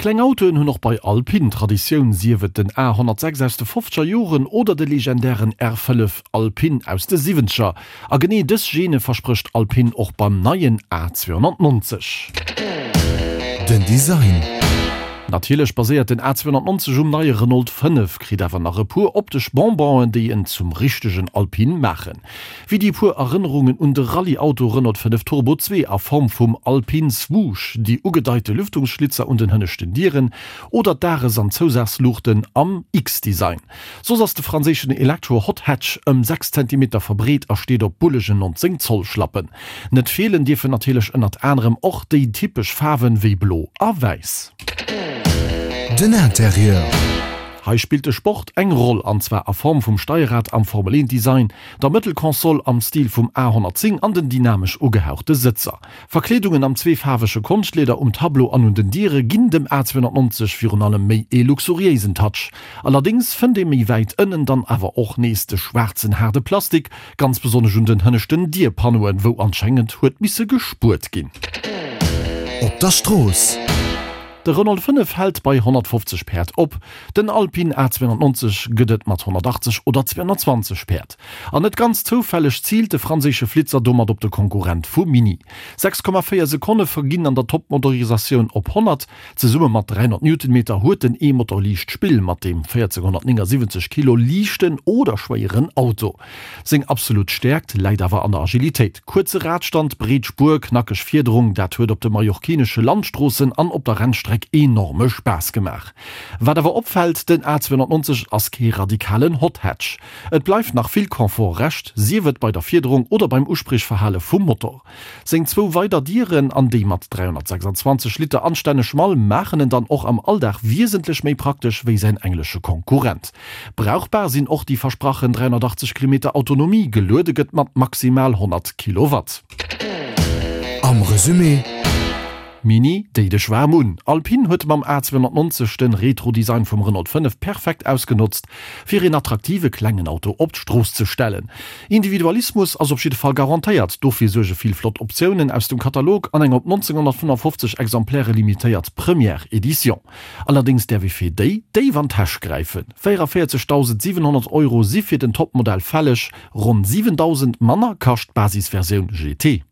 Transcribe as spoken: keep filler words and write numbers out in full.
Kleng Autoen hunn och bei Alpine Traditioun, sief et den A honnertsechs aus de fofzeger Joren oder de legendären R fënnef Alpine aus de siwwenzeger. A genee dës Gene versprécht Alpine och beim neien A zweehonnertneunzeg. Den Design. Natierlech baséiert den A zweehonnertneunzeg um neie Renault fënnef, kritt awer nach e puer optesch Bonbonen, déi en zum richtegen Alpine maachen. Wéi déi puer Erënnerungen un de Rallye-Auto Renault fënnef Turbo zwee a Form vum Alpine Swoosh, déi ugedeite Lüftungsschlitzer un den hënneschten Dieren oder d'Dages an Zousazluuchten am X-Design. Soss ass de franséischen Elektro-Hot Hatch ëm sechs Zentimeter verbreet a steet op bullegen nonzéng Zoll Schlappen. Net feelen dierfen natierlech ënnert anerem och déi typesch Faarwen wéi Blo a Wäiss. Den Interieur. Hei spillt de Sport eng Roll, an zwar a Form vum Steierrad am Formel eent Design, der Mëttelkonsol am Stil vum A honnertzéng an den dynamesch ugehauchte Sëtzer. Verkleedungen am zweefaarwege Konschtlieder um Tableau an un den Diere ginn dem A zweehonnertneunzeg virun allem méi ee luxuriéisen Touch. Allerdéngs fënnt ee méi wäit ënnen dann awer och nees de schwaarzen haarde Plastik, ganz besonnesch un den hënneschten Dierpanneauen, wou anscheinend huet misse gespuert ginn. Op der Strooss. De Renault fënnef hält bei honnertfofzeg Päerd op, den Alpine A zweehonnertneunzeg gëtt et mat honnertachtzeg oder zweehonnertzwanzeg Päerd. An net ganz zoufälleg ziilt de franséische Flitzer domat op de Konkurrent vu Mini. sechs Komma véier Sekonne verginn an der Top-Motorisatioun op honnert. Zesumme mat dräihonnert Newtonmeter huet den E-Motor liicht Spill mat deem véierzénghonnertnéngasiwwenzeg Kilo liichten oder schwéieren Auto. Seng absolut Stäerkt läit awer an der Agilitéit. Kuerze Radstand, breet Spuer, knackeg Fiederung, dat huet op de mallorquinesche Landstroossen an op der Rennstreck enorme Spaass gemaach. Wat awer opfält, den A zweehonnertneunzeg ass kee radikalen Hot Hatch. Et bleift nach vill Confort Rescht, sief et bei der Fiederung oder beim Uspriechverhale vum Motor. Seng zwou weider Dieren an déi mat dräihonnertsechsandzwanzeg Liter anstänneg Mall maachen en dann och am Alldag wiesentlech méi praktesch wéi säin englesche Konkurrent. Brauchbar sinn och déi versprachen dräihonnertachtzeg Kilometer Autonomie, geluede gëtt mat maximal honnert Kilowatt. Am Resumé. Mini, déi dech waarm un! Alpine huet mam A zweehonnertneunzeg den Retro-Design vum Renault fënnef perfekt ausgenotzt, fir een attraktive klengen Auto op d'Strooss ze stellen. Individualismus ass op jidde Fall garantéiert, dofir suerge vill flott Optiounen aus dem Katalog an eng op nonzénghonnertfënnefofzeg Exemplaire limitéiert Première Edition. Allerdéngs däerf ee fir déi déif an d'Täsch gräifen, véierevierzegsdausendsiwenhonnert Euro si fir den Topmodell fälleg, ronn siwendausend manner kascht d'Basisversioun G T.